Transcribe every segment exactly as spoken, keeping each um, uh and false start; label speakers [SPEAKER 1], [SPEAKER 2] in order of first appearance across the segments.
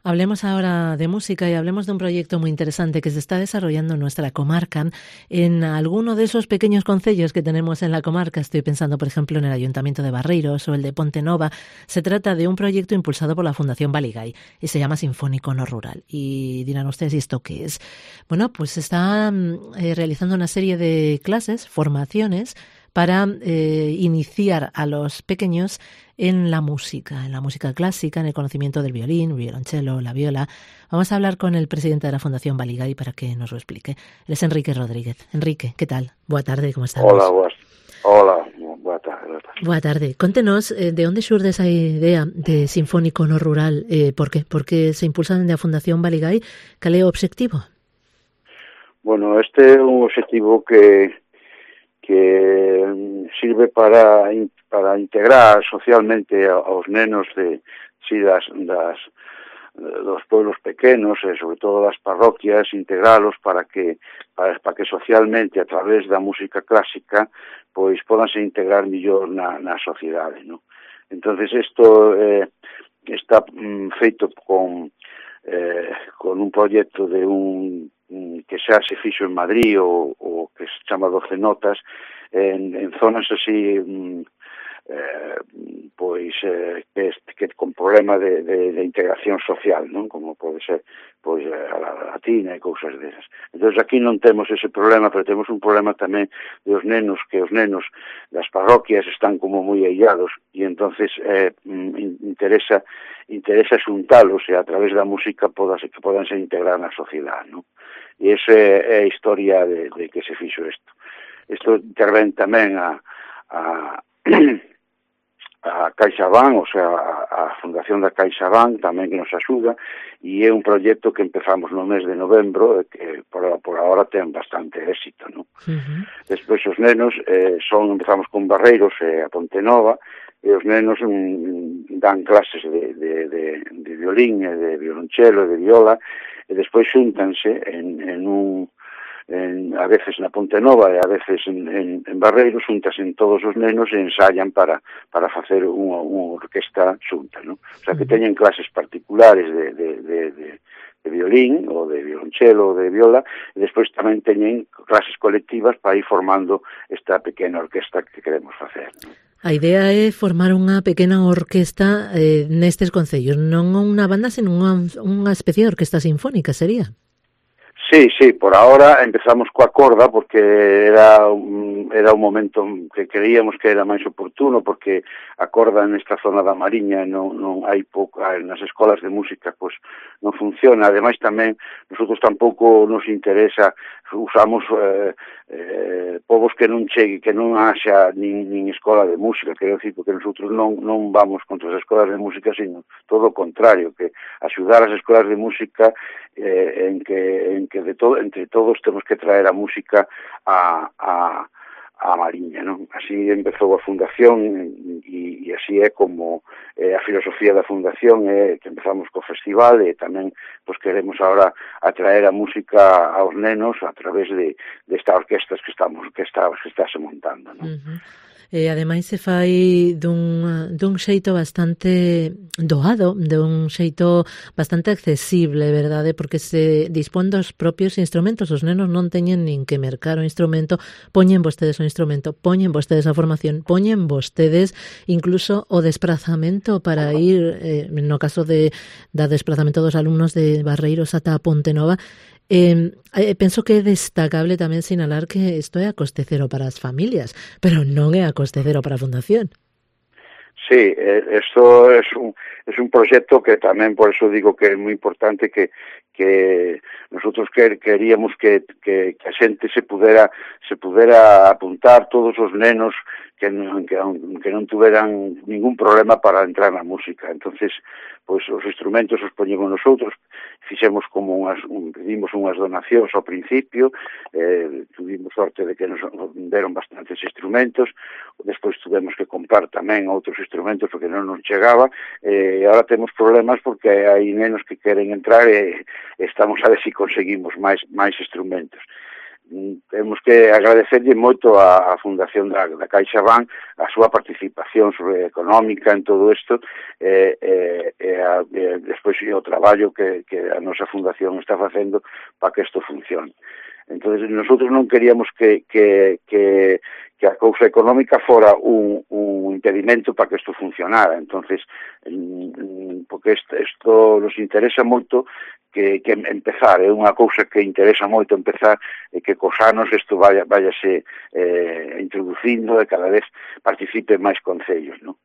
[SPEAKER 1] Hablemos ahora de música y hablemos de un proyecto muy interesante que se está desarrollando en nuestra comarca, en alguno de esos pequeños concellos que tenemos en la comarca. Estoy pensando, por ejemplo, en el Ayuntamiento de Barreiros o el de Ponte Nova. Se trata de un proyecto impulsado por la Fundación Baligay y se llama Sinfónico No Rural. Y dirán ustedes, ¿y esto qué es? Bueno, pues se está eh, realizando una serie de clases, formaciones, para eh, iniciar a los pequeños en la música, en la música clásica, en el conocimiento del violín, violonchelo, la viola. Vamos a hablar con el presidente de la Fundación Baligay para que nos lo explique. Él es Enrique Rodríguez. Enrique, ¿qué tal? Boa tarde, ¿cómo estamos?
[SPEAKER 2] Hola, boas. Hola, boa tarde. Boa tarde.
[SPEAKER 1] Boa tarde. Contenos, eh, de onde xurde esa idea de Sinfónico No Rural? Eh, por qué? Porque se impulsan da Fundación Baligay. Cal é o obxectivo?
[SPEAKER 2] Bueno, este é un obxectivo que que sirve para para integrar socialmente aos nenos de si das das dos pueblos pequenos e sobre todo das parroquias, integralos para que para, para que socialmente a través da música clásica pois podanse integrar millor na, na sociedade, ¿no? Entonces isto eh, está mm, feito con eh, con un proxecto de un que xa se fixo en Madrid o, o que se chama doce notas en, en zonas así eh, pois eh, que, que con problema de, de, de integración social, non? Como pode ser pois a la latina e cousas desas. Entón aquí non temos ese problema, pero temos un problema tamén dos nenos, que os nenos das parroquias están como moi aillados e entonces eh, interesa interesa xuntalos e a través da música podase, que podan se integrar na sociedade, non? E esa é a historia de, de que se fixo isto. Isto intervén tamén a, a, a CaixaBank, o sea, a, a Fundación da CaixaBank tamén que nos axuda, e é un proxecto que empezamos no mes de novembro, que por, por ahora ten bastante éxito, non? Uh-huh. Despois os nenos, eh, son, empezamos con Barreiros e a Ponte Nova, e os nenos mm, dan clases de, de, de, de violín e de violonchelo e de viola, e despois xúntanse en, en un, en, a veces na Ponte Nova e a veces en, en, en Barreiros, xúntanse en todos os nenos e ensayan para, para facer unha, unha orquesta xunta, non? O sea, que teñen clases particulares de, de, de, de, de violín ou de violonchelo ou de viola, e despois tamén teñen clases colectivas para ir formando esta pequena orquesta que queremos facer, non?
[SPEAKER 1] A idea é formar unha pequena orquesta eh, nestes concellos, non unha banda, sino unha, unha especie de orquesta sinfónica, sería?
[SPEAKER 2] Sí, sí, por ahora empezamos coa corda porque era un, era un momento que creíamos que era máis oportuno porque a corda nesta zona da Mariña non, non hai pouco, nas escolas de música pois non funciona, ademais tamén nosotros tampouco nos interesa, usamos eh, eh, povos que non chegue, que non haxa nin, nin escola de música, quero dicir, porque nosotros non, non vamos contra as escolas de música, sino todo o contrario, que axudar as escolas de música eh, en que en que de todo, entre todos temos que traer a música a, a, a Mariña, non? Así empezou a Fundación e, e así é como eh, a filosofía da Fundación é que empezamos co festival e tamén pues, queremos ahora atraer a música aos nenos a través de, de estas orquestas que estamos que está, que está se montando, non?
[SPEAKER 1] Uh-huh. E ademais se fai dun, dun xeito bastante doado, dun xeito bastante accesible, verdade? Porque se dispón dos propios instrumentos, os nenos non teñen nin que mercar o instrumento, poñen vostedes o instrumento, poñen vostedes a formación, poñen vostedes incluso o desprazamento para ir, eh, no caso de da desprazamento dos alumnos de Barreiros ata Ponte Nova. Eh, eh, penso que é destacable tamén sinalar que isto é a coste cero para as familias, pero non é a coste cero para a Fundación.
[SPEAKER 2] Sí, esto es un es un proxecto que tamén por eso digo que é moi importante que que nosotros quer, queríamos que, que, que a xente se pudera se pudera apuntar, todos os nenos que non, que, que non tuveran ningún problema para entrar na música. Entonces, pois os instrumentos os poñemos nosotros, fixemos como unhas, un, pedimos unhas donacións ao principio, eh, tuvimos sorte de que nos deron bastantes instrumentos, despois tuvemos que comprar tamén outros instrumentos porque non nos chegaba, e eh, agora temos problemas porque hai nenos que queren entrar e estamos a ver se si conseguimos máis máis instrumentos. temos que agradecerlle moito a, a Fundación da, da CaixaBank a súa participación sobre económica en todo isto e, e, e, a, e despois o traballo que, que a nosa fundación está facendo para que isto funcione. Entonces, nosotros non queríamos que, que, que, que a cousa económica fora un, un impedimento para que isto funcionara. Entonces, porque isto, isto nos interesa moito que, que empezar, é unha cousa que interesa moito empezar e que cos anos isto vaya, váyase eh, introducindo e cada vez participe máis concellos, non?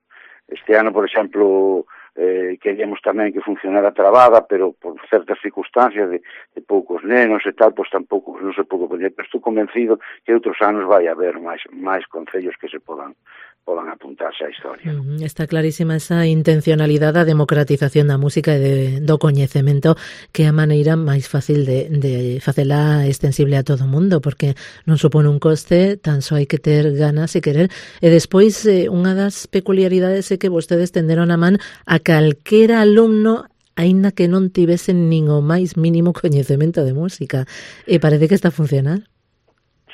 [SPEAKER 2] Este ano, por exemplo, eh, queríamos tamén que funcionara trabada, pero por certas circunstancias de, de poucos nenos e tal, pois tampouco non se pouco poñer, pero estou convencido que outros anos vai haber máis máis concellos que se podan podan apuntarse á historia.
[SPEAKER 1] Uh-huh. Está clarísima esa intencionalidade da democratización da música e de, do coñecemento, que é a maneira máis fácil de, de facela extensible a todo o mundo, porque non supone un coste, tan só hai que ter ganas e querer. E despois, eh, unha das peculiaridades é que vostedes tenderon a man a calquera alumno aínda que non tivesen nin o máis mínimo coñecemento de música. E parece que está a funcionar.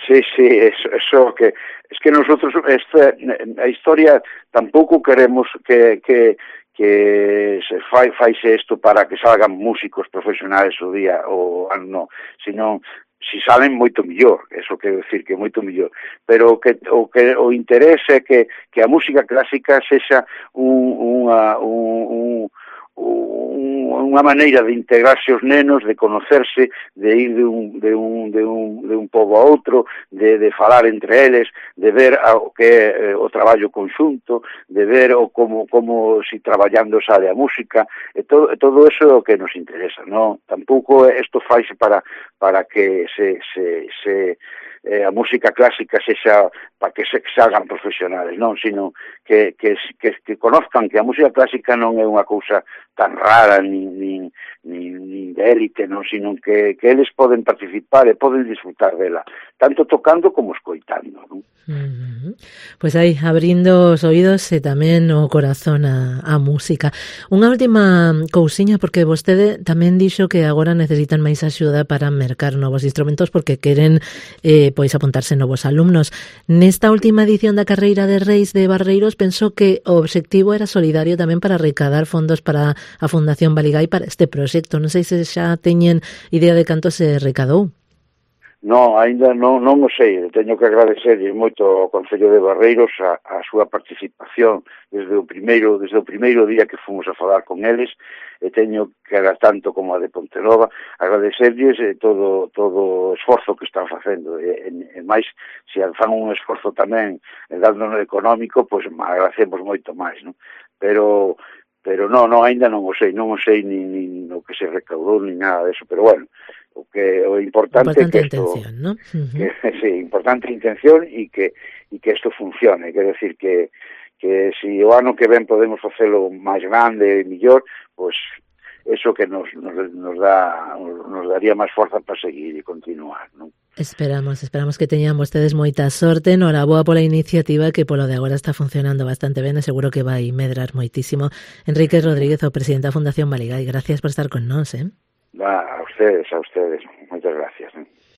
[SPEAKER 2] Sí, sí, eso, eso que es que nosotros esta a historia tampouco queremos que que que se fai faise isto para que salgan músicos profesionales o día o ano, sino si salen moito mellor, eso quero decir que moito mellor, pero que o que o interese é que que a música clásica sexa un unha un, un unha maneira de integrarse os nenos, de conocerse, de ir de un, de un, de un, de un pobo a outro, de, de falar entre eles, de ver o que é o traballo conxunto, de ver o como, como si traballando sale a música, e todo, todo eso é o que nos interesa, non? Tampouco isto faise para, para que se, se, se eh, a música clásica sexa para que se salgan profesionales, non, sino que, que, que, que conozcan que a música clásica non é unha cousa tan rara nin, nin, nin, nin de élite, non, sino que, que eles poden participar e poden disfrutar dela, tanto tocando como escoitando, non?
[SPEAKER 1] Uh-huh. Pois aí, abrindo os oídos e tamén o corazón a, a música. Unha última cousiña, porque vostede tamén dixo que agora necesitan máis axuda para mercar novos instrumentos porque queren eh, pois apuntarse novos alumnos. Nesta última edición da Carreira de Reis de Barreiros pensou que o obxectivo era solidario tamén para recadar fondos para a Fundación Baligái para este proxecto. Non sei se xa teñen idea de canto se recadou.
[SPEAKER 2] Non, aínda non, non o sei, teño que agradecerlle moito ao Concello de Barreiros a, a súa participación desde o primeiro desde o primeiro día que fomos a falar con eles, e teño que era tanto como a de Pontenova agradecerlles eh, todo todo o esforzo que están facendo, e, e, e máis, se fan un esforzo tamén dándonos económico, pois pues, agradecemos moito máis, non? Pero pero non, non, aínda non o sei, non o sei nin, nin o que se recaudou, nin nada deso, pero bueno, o que o importante,
[SPEAKER 1] importante
[SPEAKER 2] é que esto,
[SPEAKER 1] intención, ¿no? Uh-huh.
[SPEAKER 2] que, sí, importante intención e que e que isto funcione, quer decir que que si o ano que ven podemos facelo máis grande e mellor, pois eso que nos nos, nos dá nos daría máis forza para seguir e continuar, non?
[SPEAKER 1] Esperamos, esperamos que teñan vostedes moita sorte. Noraboa pola iniciativa, que polo de agora está funcionando bastante ben e seguro que vai medrar moitísimo. Enrique Rodríguez, o presidente da Fundación Baligái, gracias por estar con nós, eh?
[SPEAKER 2] Va, a ustedes, a ustedes. Moitas gracias, eh?